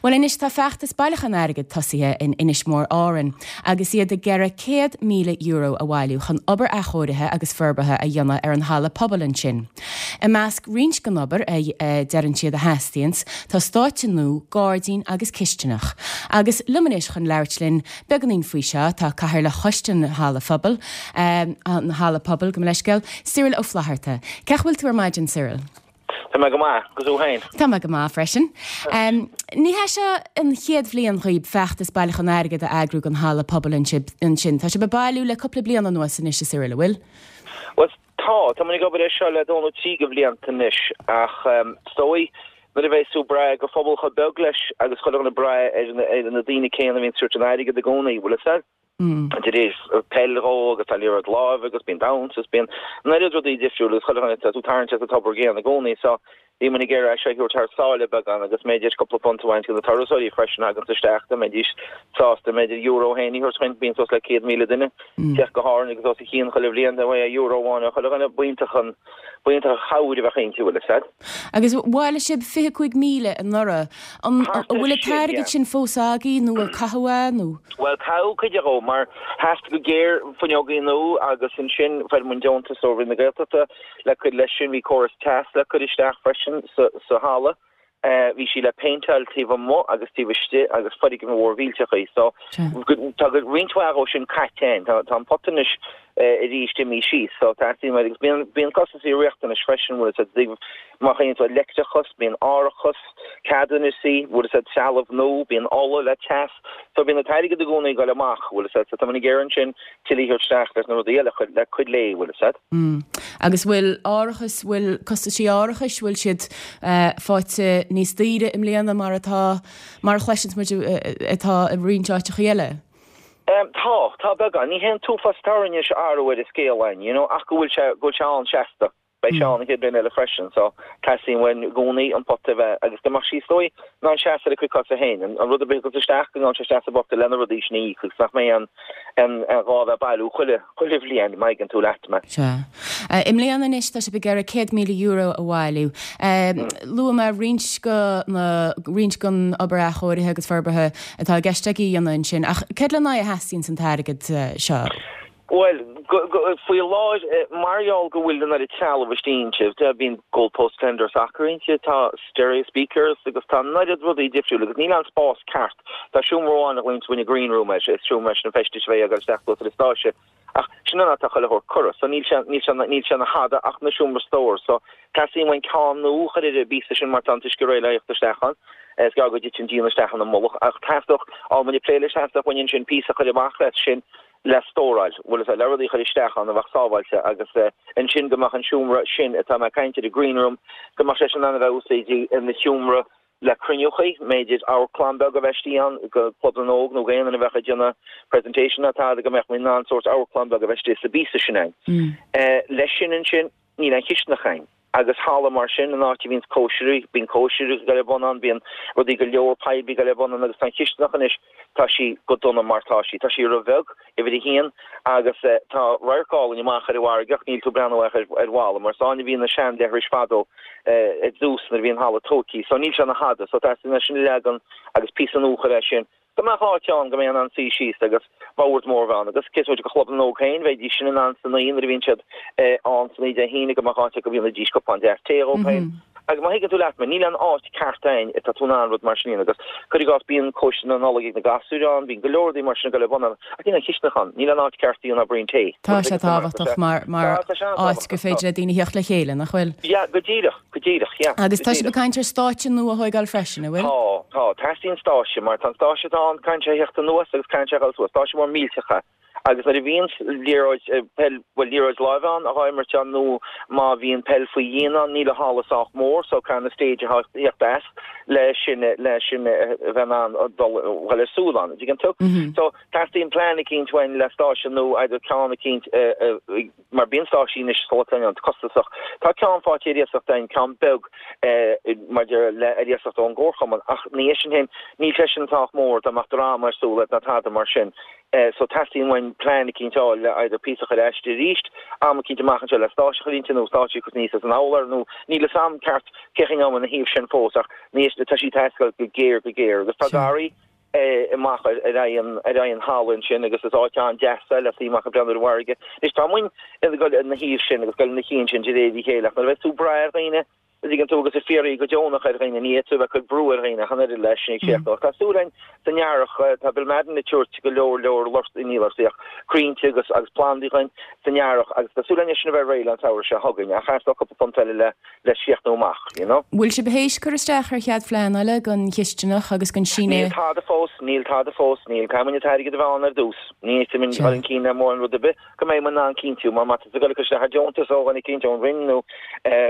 Bhuel anois tá feachtas bailiúchán airgid tosaithe in Inis Mór Árainn agus iad ag iarraidh €100,000 a bhailiú chun obair athchóirithe agus forbartha a dhéanamh ar an halla pobail ansin. I measc roinnt den obair a deireann siad a theastaíonns tá stáitse nua, gairdín agus cistineach. Agus liom anois chun labhairt linn beagáinín faoi seo tá Cathaoirleach Choiste an Halla Phobail, an Halla Pobail, gabh mo leithscéal, Cyril Ó Flatharta. Cén chaoi a bhfuil tú ar maidin, Cyril? Tá mé go maith, agus thú féin? Tá mé go maith freisin. Ní hé seo an chéad bhliain dhaoib feachtas bailiúchán airgid a eagrú don halla pobail ansin. Tá sibh ag bailiú le cúpla bliain anuas anois, a Cyril, an bhfuil? Bhuel, tá. Tá muid ag obair air seo le dó nó trí de bhlianta anois ach is dóigh nuair a bheas tú ag brath go phobal chomh beag leis agus chuile dhuine ag brath ar na daoine céanna a bhíonn ag tabhairt an airgid i gcónaí, bhfuil fhios a'd? De réir peil dhó agus tá liathróid láimhe agus bíonn damhsa agus bíonn an oiread rudaí difriúla agus chuile dhuine tá tú ag tarraingt as an tobar gcéanna i gcónaí so bhí muid ag iarraidh é seo a thabhairt thar sáile beagán agus mb'fhéidir cúpla punt a bhaint de na turasóirí freisin a thaganns isteach dá mbeidís sásta mb'fhéidir euro féin a thabhairt chugainn bíonn suas le 100,000 duine ag teacht go hÁrainn agus os a chionn chuile bhliain dá mbeadh euro amháin ó chuile dhuine b'iontach an b'iontach an chabhair a bheadh inti bhfuil fhios a'd. Agus bhailigh sibh 25,000 anuraidh. An bhfuil an t-airgead sin fós agaibh nó ar caitheadh é nó? Bhuel, caitheadh cuid dhó mar theastaigh go géar fuinneogaí nua agus ansin fuair muid deontas ó Roinn na Gaeltachta le cur leis sin. Bhí córas teas le cur isteach freisin sa halla. Bhí sí le péinteáil taobh amuigh agus taobh istigh agus foirgneamh mhór mhillteach í. So tá roinnt mhaith dhó sin caite againn. Tá an pota anois arís imithe síos. So teastaíonn uainn agus bíonn bíonn costasaí riachtanais freisin bhfuil fhios a'd má chuireann tú leictreachas, bíonn árachas, ceadúnasaí, bhfuil fhios a'd trealamh nua, bíonn ola le teas. So bíonn an t-airgead i gcónaí ag dul amach, bhfuil fhios a'd. So tá muid ag iarraidh ansin tuilleadh a thabhairt isteach leis na rudaí eile le cur léi, bhfuil fhios a'd. Mm. Agus bhfuil árachas, bhfuil costaisí árachais, bhfuil siad faighte níos daoire i mbliana mar atá, mar a chloiseanns muid atá i roinnt áiteachaí eile? Tá, tá beagán. Ní hé an t-uafás atá orainn anois athrú ar an scéal againn, you know, ach go bhfuil sé, go bhfuil sé ann seasta. Beidh sé ann an chéad bhliain eile freisin, so teastaíonn uainn i gcónaí an pota a bheith, agus go mbeadh sí is dóigh, in ann seasamh ar a cuid cosa féin. An rud ar bith a thiocfas isteach, go ngabhann sé isteach sa bpota le na rudaí sin a íoc agus nach mbeidh an, an, an gá a bheith ag bailiú chuile, chuile bhliain, má thuigeann tú leat mé. Sea. I mbliana anois tá sibh ag iarraidh €100,000 a bhailiú. Luaigh mé roinnt go na, roinnt den obair athchóirithe agus forbartha atá i gceist agaibh a dhéanamh ansin, ach céard lena aghaidh a theastaíonns an t-airgead seo? Bhuel, faoi láthair, mar gheall go bhfuil an oiread trealamh istigh inti, bíonn goalpost defender soccer inti, tá stereo speakers agus tá an oiread rudaí difriúla agus níl an spás ceart. Tá seomra amháin a ghlaonn muid green room air, is seomra leis na feistis a bheidh ag dul isteach suas ar an stáitse. Ach sin an áit atá chuile shórt curtha, so níl sé, níl sé, níl sé ina thada ach ina seomra stóir. So teastaíonn uainn ceann nua a chur ar an bpíosa sin mar tá an t-uisce réidh le theacht isteach ann. Is gearr go dtiteann díon isteach ina mullach. Ach theastódh, tá muid ag plé leis, theastódh uainn ansin píosa a chur amach leis sin le stóráil, bhfuil fhios a'd, le rudaí a chur isteach ann a bheadh sábháilte agus ansin go mbeadh an seomra sin atá mé ag caint air, an green room, go mbeadh sé sin in ann a bheith úsáidte ina sheomra le cruinniúchaí, mb'fhéidir amharclann beag a bheith istigh ann go Club na nÓg nó go aon duine a bheadh ag déanamh presentation nó tada go mbeadh muid in ann sórt amharclann beag a bheith istigh sa bpíosa sin ann. Leis sin ansin, níl aon chisteanach ann. Agus halla mar sin, an áit a bhíonns cóisirí, bíonn cóisirí ag dul ar bun ann, bíonn rudaí go leor poiblí ag dul ar bun ann agus tá an chisteanach anois, tá sí go dona mar tá sí. Tá sí ro-bheag, uimhir a haon, agus tá radharc álainn amach ar an bhfarraige ach níl tú ag breathnú ach ar ar bhalla mar is ann a bhí na sean-leithris fadó i dtús nuair a bhí an halla tóigthe. So níl sé ina thada. So teastaíonn é sin a leagan agus píosa nua a chur air sin. Go mbeadh áit ann go mbeidh in ann suí síos agus bord mór a bheith ann agus cé is moite de Chlub na nÓg féin, bheidís sin in ann san oíche nuair a bhíonn siad ann san oíche Dé hAoine go mbeadh áit acu go ndéanfaidís cupán deas tae dhóibh féin. Agus má thuigeann tú leat mé, níl aon áit ceart ann atá tú in ann rud mar sin a dhéanamh agus cuir i gcás bíonn cóisir na Nollag ag na gasúir ann, bíonn go leor rudaí mar sin ag dul ar bun ann ach níl aon chisteanach ann, níl aon áit ceart a dhéanamh braon tae. Tá sé tábhachtach mar mar áit gur féidir le daoine theacht le chéile, nach bhfuil? Yeah, go díreach. Go díreach, yeah. Agus tá sibh ag caint ar stáitse nua a thóigeáil freisin, an bhfuil? Tá, tá. Teastaíonn stáitse, mar tá an stáitse atá ann, caithfidh sé a theacht anuas agus caithfidh sé a dhul suas. Stáitse mór millteach é. Agus nuair a bhíonn liathróid, peil, bhuel, liathróid láimhe ann, á imirt ann nó má bhíonn peil faoi dhíon ann, níl an halla sách mór so caithfidh an stage a theacht as le sin, le sin a bheith in ann dul, dhul ar siúl ann. An dtuigeann tú? So, teastaíonn plean eicínt uainn le stáitse nua, either ceann eicínt a, mar bíonn stáitsí anois sa lá atá inniu ann costasach. Tá ceann faighte ar iasacht againn, ceann beag maidir le ar iasacht ón gcomharchumann, ach ní é sin féin, níl sé sin sách mór dá mbeadh dráma ar siúl ná tada mar sin. So teastaíonn uainn. orainn plean eicínt a fháil le either píosa a chur aisti arís, am eicínt amach anseo le stáitse a chur inti nó stáitse a chur níos as an urlár nó níl fhios a'm ceart cén chaoi a mbeidh ina thaobh sin fós ach ní tá sí ag teastáil go géar go géar agus tá garraí amach ar aghaidh an ar aghaidh an halla ansin agus is áit an-deas é le suí amach ag breathnú ar an bhfarraige. Anois tá muinn ag dul ina thaobh sin agus dul ina chinn sin de réir a chéile ach nuair a bheas tú ag brath ar dhaoine an dtuigeann tú agus ag fiafraí go deonach ar dhaoine, ní fhéadfaidh tú a bheith ag cur brú ar dhaoine ach an oiread leis sin ag séacadh. Ach tá súil againn san earrach, tá Bill Madden ag tabhairt go leor leor lort, ní lortaí ach crainnte agus agus plandaí dhuinn san earrach agus tá súil againn é sin a bheith réidh le an samhradh seo chugainn ach theastódh cúpla punt eile le le críochnú amach, you know. Bhfuil sibh théis cur isteach ar chead phleanála don chisteanach agus don síneadh? Níl tada fós, níl tada fós, níl. Caithfidh muid an t-airgead a bheith ann ar dtús. Ní fhéadfaidh muid dul chun cinn le mórán rud ar bith. go mbeidh muid in ann cinntiú, mar má tá tú ag dul ag cur isteach ar deontas ó dhuine eicínt ón Roinn nó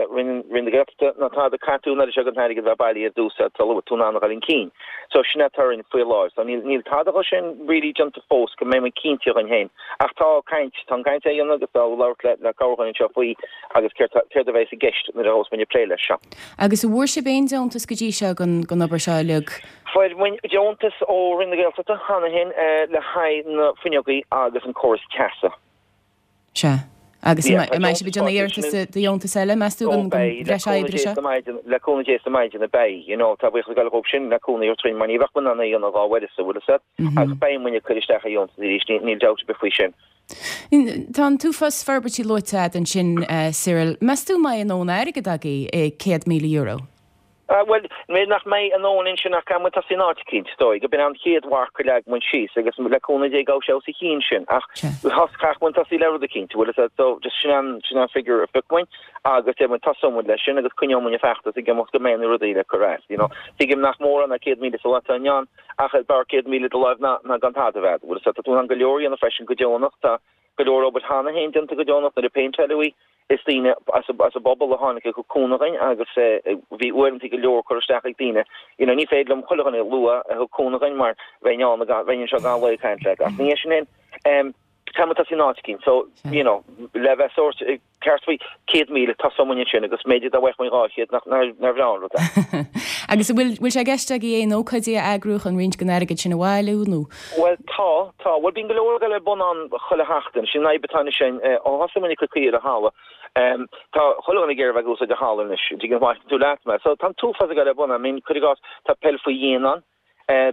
Roinn Roinn na Gaeltachta nó tada caithfidh tú an oiread seo den airgead a bheith bailithe ar dtús sula bhfuil tú in ann a dhul chun cinn. So sin atá orainn faoi láthair. So níl níl tada dho sin really déanta fós go mbeidh muid cinnte dhuinn féin. Ach tá caint, tá an caint á dhéanamh agus tá labhairt le le corrdhuine anseo faoi agus céard tá céard a bheas i gceist nuair a ghabhfas muid ag plé leis seo. Agus an bhfuair sibh aon deontas go dtí seo don don obair seo uilig? Fuair muid deontas ó Roinn na Gaeltachta cheana féin le haghaidh na fuinneogaí agus an córas teasa. Sea. Agus an mbeidh sibh ag déanamh iarratas do dheontas eile, meas tú, don bhreis oibre seo? Le cúnamh Dé sa maighdean, beidh. You know, tá buíochas ag dul dhóibh sin le cúnamh a thabhairt dhúinn mar ní bheadh muid in ann é a dhéanamh dhá uireasa, bhfuil fhios agat. Ach beidh muid ag cur isteach ar dheontas arís, níl dabht ar bith faoi sin. Tá an t-uafás forbairtí luaite agat ansin, Cyril. Meas tú an mbeidh a ndóthain airgid agaibh, €100,000? Bhuel, b'fhéidir nach mbeidh a ndóthain ansin ach caithfidh muid tosaí in áit eicínt, is dóigh, go b'in an chéad mharc a leag muid síos agus le cúnamh Dé gabhfaidh sé os a chionn sin ach chaithfeadh muid tosaí le rud eicínt, bhfuil fhios agat, so just sin an, sin an figure a phioc muid agus deir muid tosóidh muid leis sin agus coinneoidh muid an feachtas ag imeacht go mbeidh na rudaí le cur as, you know. Tuigim nach mórán ná 100,000 sa lá atá inniu ann ach is b'fhearr 100,000 i do láimh ná, ná gan tada a bheith agat, bhfuil fhios agat, tá tú in ann go leor a dhéanamh freisin go deonach, tá go leor obair cheana féin déanta go deonach nuair a péinteáileadh í. Is daoine as an bpobal a tháinig ag cúnamh dhuinn agus bhí uaireanta go leor curtha isteach ag daoine. You know, ní féidir liom chuile dhuine a lua a thug cúnamh dhuinn mar bheinn ann, bheinn anseo gach lá ag caint leat. Ach ní hé sin é. Caithfidh muid tosaí in áit eicínt. So, you know, le bheith sórt ceart faoi 100,000, tosóidh muid ansin agus b'fhéidir dá bhfaigheadh muid 200 nach nár bhreá an rud é. Agus an bhfuil, bhfuil sé i gceist agaibh aon ócáidí a eagrú chun roinnt den airgead sin a bhailiú nó? Bhuel, tá, tá. Bhuel, bíonn go leor ag dul ar bun ann chuile sheachtain. Sin an fhadhb atá anois againn. Ó thosaigh muid ag cur caoi ar an halla, tá chuile dhuine ag iarraidh a bheith ag úsáid an halla anois. An dtuigeann tú leat mé. So, tá an t-uafás ag dul ar bun ann. I mean, cuir i gcás, tá peil faoi dhíon ann,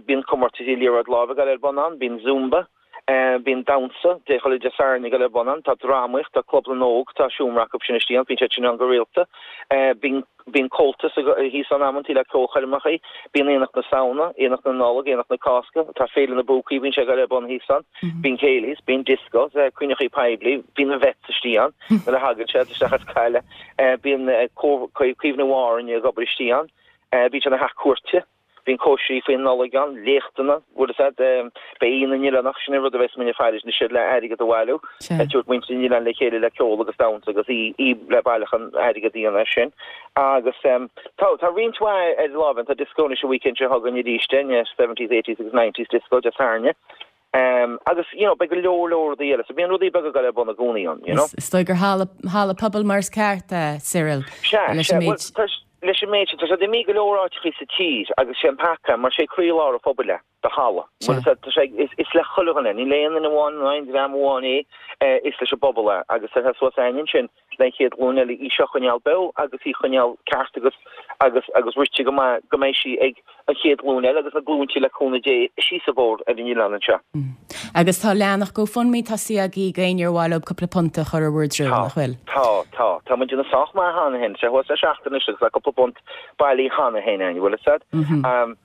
bíonn comórtaisí liathróid láimhe ag dul ar bun ann, bíonn Zumba, bíonn damhsa Dé chuile Dé Sathairn ag dul ar bun ann, tá drámaíocht, tá Club na nÓg, tá seomra acu sin istigh ann, bíonn siad sin ann go rialta. Bíonn. Bíonn Comhaltas thíos ann amantaí le ceolchoirmeacha. Bíonn Aonach na Samhna, Aonach na Nollag, Aonach na Cásca. Tá Féile na bPúcaí, bíonn sé ag dul ar bun thíos ann. Bíonn céilís, bíonn discos, cruinneachaí poiblí, bíonn na vets istigh ann nuair a thagann siad isteach as Caille. Bíonn Caomhnú Árainn ag obair istigh ann. Bíonn sé ina theach cúirte. Bíonn cóisirí faoin Nollaig ann, léachtanna, bhfuil fhios a'd, beidh Oíche na nOileánach, sin an rud a bheas muid ag faire anois le airgead a bhailiú, ag tabhairt muintir an oileáin le chéile le ceol agus damhsa agus í le bailiúchán airgead a dhéanamh as sin. Agus tá, tá roinnt mhaith ar láimh ann, tá disco anois an weekend seo chugainn arís, den seventies, eighties agus nineties disco Dé Sathairn. Agus, you know, beidh go leor leor rudaí eile. So bíonn rudaí beaga ag dul ar bun i gcónaí ann, you know. Is dóigh gur halla, halla pobail mar is ceart é, Cyril. Sea, leis an méid. Bhuel, tá, leis an méid sin, tá sé imithe go leor áiteachaí sa tír agus sé an peaca, mar sé croílár an phobail é, do halla. Bhuel, tá sé, is, is le chuile dhuine, ní le aon duine amháin nó aon dream amháin é, is leis an bpobal é agus tá sé suas a'ainn ansin le an chéad ghlúin eile í seo a choinneáil beo agus í a choinneáil ceart agus agus agus rite go maith go mbeidh sí ag an chéad ghlúin eile agus na glúinte le cúnamh Dé síos an bóthar ar an oileán anseo. Agus tá leathanach GoFundMe tosaithe agaibh d'éinne ar mhaith leo cúpla punt a chur i bhur dtreo, nach bhfuil? Tá, tá. Tá muid ag déanamh sách maith cheana féin. Tá sé thuas le seachtain anois agus tá cúpla punt bailithe cheana féin againn, bhfuil fhios a'd.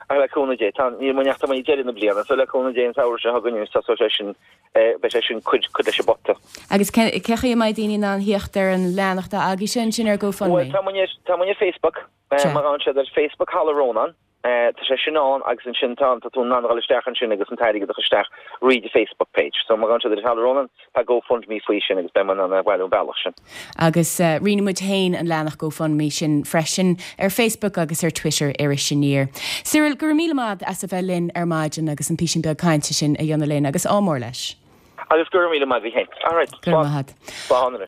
Ach le cúnamh Dé, tá, níl muid ach tá muid ag deireadh na bliana, so le cúnamh Dé an samhradh seo chugainn anois tosóidh sé sin beidh sé sin cuid cuid leis an bpota. Agus cé chaoi a mbeidh daoine in ann theacht ar an leathanach atá agaibhse ansin ar GoFundMe? Bhuel, tá muid ar, tá muid ar Facebook. Má ghabhann siad ar Facebook Halla Rónáin, tá sé sin ann agus ansin tá, tá tú in ann a dhul isteach ansin agus an t-airgead a chur isteach thríd an Facebook page. So má ghabhann siad ar Halla Rónáin, tá GoFundMe faoi sin agus beidh muid in ann é a bhailiú an bealach sin. Agus roinnfidh muid féin an leathanach GoFundMe sin freisin ar Facebook agus ar Twitter Iris Aniar. Cyril, go raibh míle maith as a bheith linn ar maidin agus an písín beag cainte sin a dhéanamh linn agus ádh mór leis. Agus go raibh míle maith agat féin. Alright, Go raibh maith agat. Slán anois.